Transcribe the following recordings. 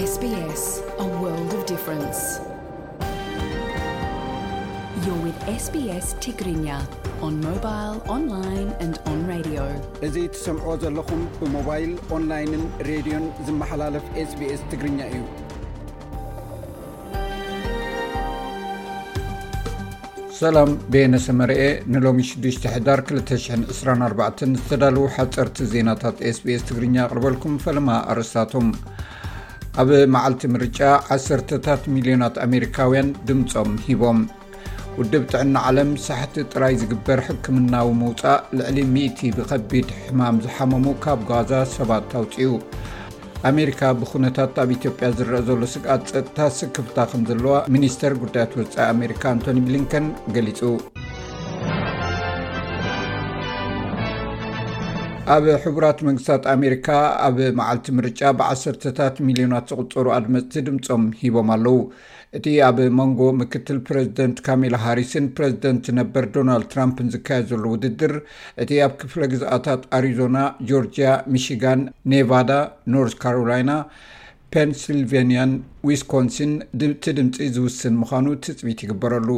S B S, a world of difference. You're with S B S Tigrinya on mobile, online and on radio. እዚ ትሰምዕዎ ዘለኹም ብሞባይል፣ ኦንላይንን ሬድዮን ዝመሓላለፍ SBS ትግርኛ እዩ። ሰላም፣ ቤነ ሰመርኤ ንሎሚ ሽዱሽተ ሕዳር ክልተ ሽሕን ዕስራን ኣርባዕተን ዝተዳለዉ ሓፀርቲ ዜናታት SBS ትግርኛ ኣቕርበልኩም። ፈለማ ኣርእስታቶም። ኣብ መዓልቲ ምርጫ ዓሰርተታት ሚልዮናት ኣሜሪካውያን ድምፆም ሂቦም። ውድብ ጥዕና ዓለም ሳሕቲ ጥራይ ዝግበር ሕክምናዊ ምውፃእ ልዕሊ ሚእቲ ብኸቢድ ሕማም ዝሓመሙ ካብ ጋዛ ሰባት ኣውፅኡ። ኣሜሪካ ብኩነታት ኣብ ኢትዮጵያ ዝረኣ ዘሎ ስግኣት ጸጥታ ስክፍታ ከም ዘለዋ ሚኒስተር ጉዳያት ወጻኢ ኣሜሪካ ኣንቶኒ ብሊንከን ገሊጹ። ኣብ ሕቡራት መንግስታት ኣሜሪካ ኣብ መዓልቲ ምርጫ ብዓሰርተታት ሚልዮናት ዝቑጸሩ ኣድመጽቲ ድምጾም ሂቦም ኣለዉ። እቲ ኣብ መንጎ ምክትል ፕረዚደንት ካሜላ ሃሪስን ፕረዚደንት ነበር ዶናልድ ትራምፕን ዝካየድ ዘሎ ውድድር፣ እቲ ኣብ ክፍለ ግዝኣታት ኣሪዞና፣ ጆርጅያ፣ ሚሺጋን፣ ኔቫዳ፣ ኖርዝ ካሮላይና፣ ፔንሲልቬንያን ዊስኮንሲን ድምቲ ድምፂ ዝውስን ምዃኑ ትፅቢት ይግበረሉ።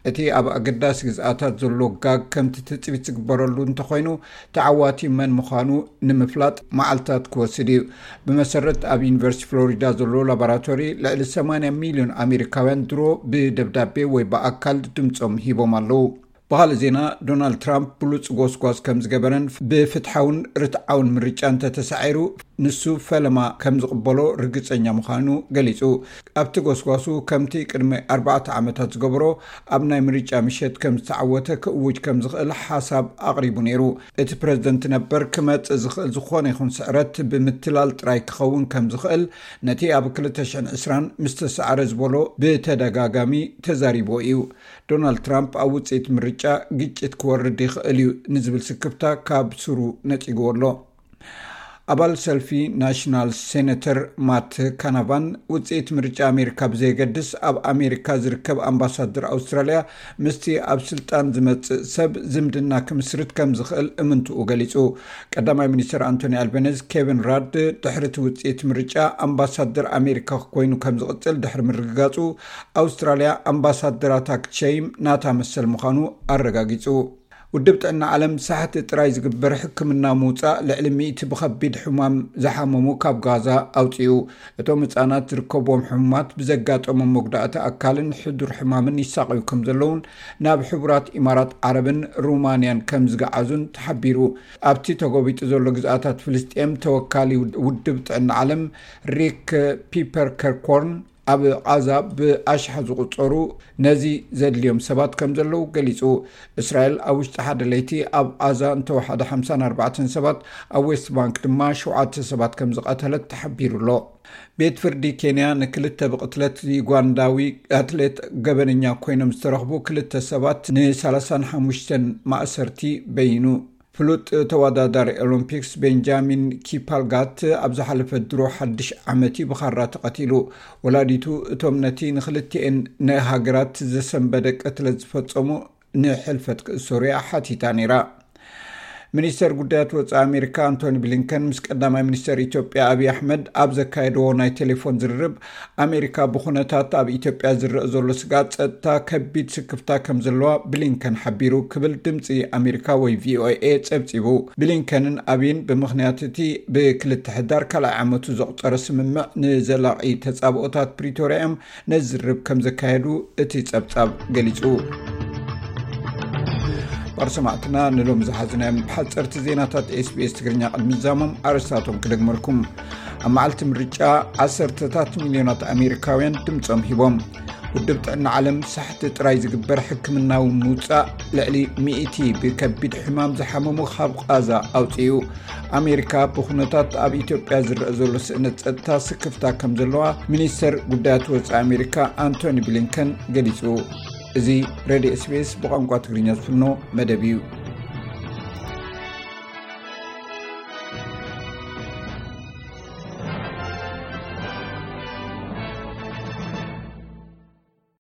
እቲ ኣብ ኣገዳሲ ግዝኣታት ዘሎ ጋግ ከምቲ ትፅቢት ዝግበረሉ እንተኾይኑ፣ ተዓዋቲ መን ምዃኑ ንምፍላጥ መዓልታት ክወስድ እዩ። ብመሰረት ኣብ ዩኒቨርሲቲ ፍሎሪዳ ዘሎ ላቦራቶሪ፣ ልዕሊ ሰማንያ ሚልዮን ኣሜሪካውያን ድሮ ብደብዳቤ ወይ ብኣካል ድምፆም ሂቦም ኣለዉ። ብኻልእ ዜና፣ ዶናልድ ትራምፕ ብሉፅ ጎስጓስ ከም ዝገበረን ብፍትሓውን ርትዓውን ምርጫ እንተተሳዒሩ፣ ንሱ ፈለማ ከም ዝቕበሎ ርግጸኛ ምዃኑ ገሊጹ። ኣብቲ ጎስጓሱ፣ ከምቲ ቅድሚ ኣርባዕተ ዓመታት ዝገበሮ፣ ኣብ ናይ ምርጫ ምሸት ከም ዝተዓወተ ክእውጅ ከም ዝኽእል ሓሳብ ኣቕሪቡ ነይሩ። እቲ ፕረዚደንት ነበር ክመጽእ ዝኽእል ዝኾነ ይኹን ስዕረት ብምትላል ጥራይ ክኸውን ከም ዝኽእል፣ ነቲ ኣብ ክልተ ሽሕን ዕስራን ምስ ተሳዕረ ዝበሎ ብተደጋጋሚ ተዛሪብዎ እዩ። ዶናልድ ትራምፕ ኣብ ውጽኢት ምርጫ ግጭት ክወርድ ይኽእል እዩ ንዝብል ስክፍታ ካብ ስሩ ነጺግዎ ኣሎ። ኣባል ሰልፊ ናሽናል ሴነተር ማት ካናቫን፣ ውጽኢት ምርጫ ኣሜሪካ ብዘየገድስ፣ ኣብ ኣሜሪካ ዝርከብ ኣምባሳደር ኣውስትራልያ ምስቲ ኣብ ስልጣን ዝመጽእ ሰብ ዝምድና ክምስርት ከም ዝኽእል እምንትኡ ገሊጹ። ቀዳማይ ሚኒስትር ኣንቶኒ ኣልበነዝ፣ ኬቪን ራድ ድሕሪ እቲ ውጽኢት ምርጫ ኣምባሳደር ኣሜሪካ ኮይኑ ከም ዝቕጽል ድሕሪ ምርግጋጹ፣ ኣውስትራልያ ኣምባሳደራታ ክትሸይም ናታ መሰል ምዃኑ ኣረጋጊጹ። ውድብ ጥዕና ዓለም ሳሕቲ ጥራይ ዝግበር ሕክምና ምውጻእ ልዕሊ ሚእቲ ብኸቢድ ሕማም ዝሓመሙ ካብ ጋዛ ኣውጺኡ። እቶም ህጻናት ዝርከብዎም ሕሙማት ብዘጋጠሞም መጉዳእቲ ኣካልን ሕዱር ሕማምን ይሳቐዩ ከም ዘለውን ናብ ሕቡራት ኢማራት ዓረብን ሩማንያን ከም ዝገዓዙን ተሓቢሩ። ኣብቲ ተጎቢጡ ዘሎ ግዝኣታት ፍልስጤም ተወካሊ ውድብ ጥዕና ዓለም ሪክ ፒፐርከርኮርን ኣብ ቓዛ ብኣሽሓ ዝቑጸሩ ነዚ ዘድልዮም ሰባት ከም ዘለዉ ገሊጹ። እስራኤል ኣብ ውሽጢ ሓደ ለይቲ ኣብ ቓዛ እንተወሓደ ሓምሳን ኣርባዕተን ሰባት፣ ኣብ ዌስት ባንክ ድማ ሸውዓተ ሰባት ከም ዝቐተለት ተሓቢሩ ኣሎ። ቤት ፍርዲ ኬንያ ንክልተ ብቕትለት ዩጋንዳዊ ኣትሌት ገበነኛ ኮይኖም ዝተረኽቡ ክልተ ሰባት ንሰላሳን ሓሙሽተን ማእሰርቲ በይኑ። ፍሉጥ ተወዳዳሪ ኦሎምፒክስ ቤንጃሚን ኪፓልጋት ኣብ ዝሓለፈ ድሮ ሓድሽ ዓመት እዩ ብኻራ ተቐቲሉ። ወላዲቱ እቶም ነቲ ንክልቲኤን ናይ ሃገራት ዘሰንበደ ቅትለት ዝፈጸሙ ንሕልፈት ክእሰሩ እያ ሓቲታ ነይራ። ሚኒስተር ጉዳያት ወጻኢ ኣሜሪካ ኣንቶኒ ብሊንከን ምስ ቀዳማይ ሚኒስተር ኢትዮጵያ ኣብይ ኣሕመድ ኣብ ዘካየድዎ ናይ ቴሌፎን ዝርርብ፣ ኣሜሪካ ብኹነታት ኣብ ኢትዮጵያ ዝረአ ዘሎ ስግኣት ጸጥታ ከቢድ ስክፍታ ከም ዘለዋ ብሊንከን ሓቢሩ ክብል ድምጺ ኣሜሪካ ወይ ቪኦኤ ጸብጺቡ። ብሊንከንን ኣብይን ብምኽንያት እቲ ብክልተ ሕዳር ካልኣይ ዓመቱ ዘቑጸረ ስምምዕ ንዘላቒ ተጻብኦታት ፕሪቶርያ እዮም ነዚ ዝርርብ ከም ዘካየዱ እቲ ጸብጻብ ገሊጹ። ባር ሰማዕትና ንሎም ዝሓዝናዮም ሓፀርቲ ዜናታት SBS ትግርኛ ቅድሚ ዛሞም ኣርእስታቶም ክደግመልኩም። ኣብ መዓልቲ ምርጫ ዓሰርተታት ሚልዮናት ኣሜሪካውያን ድምፆም ሂቦም። ውድብ ጥዕና ዓለም ሳሕቲ ጥራይ ዝግበር ሕክምናዊ ምውፃእ ልዕሊ ሚእቲ ብከቢድ ሕማም ዝሓመሙ ካብ ቓዛ ኣውፅኡ። ኣሜሪካ ብኩነታት ኣብ ኢትዮጵያ ዝረአ ዘሎ ስእነት ጸጥታ ስክፍታ ከም ዘለዋ ሚኒስተር ጉዳያት ወጻኢ ኣሜሪካ ኣንቶኒ ብሊንከን ገሊጹ። እዚ ሬድዮ SBS ብቋንቋ ትግርኛ ዝፍኖ መደብ እዩ።